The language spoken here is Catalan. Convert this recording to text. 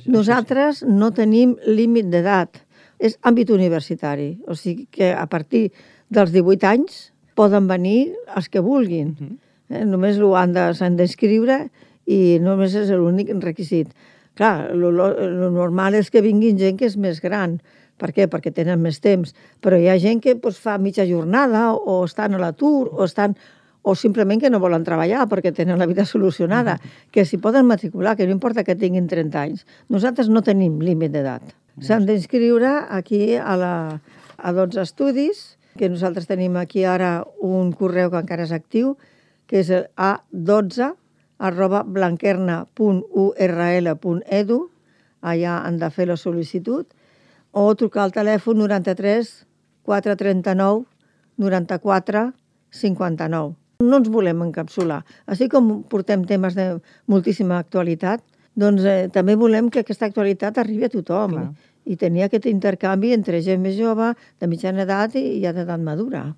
Nosaltres no tenim límit d'edat, és àmbit universitari, o sigui que a partir dels 18 anys poden venir els que vulguin. Només s'han d'inscriure i només és l'únic requisit. Clar, el normal és que vinguin gent que és més gran. Per què? Perquè tenen més temps. Però hi ha gent que fa mitja jornada o estan a l'atur o simplement que no volen treballar perquè tenen la vida solucionada, que s'hi poden matricular, que no importa que tinguin 30 anys. Nosaltres no tenim límit d'edat. S'han d'inscriure aquí a 12 estudis, que nosaltres tenim aquí ara un correu que encara és actiu, que és el a12@blanquerna.url.edu, allà han de fer la sol·licitud, o trucar al telèfon 93 439 94 59. No ens volem encapsular. Així com portem temes de moltíssima actualitat, doncs també volem que aquesta actualitat arribi a tothom i tenir aquest intercanvi entre gent més jove, de mitjana edat i ja d'edat madura.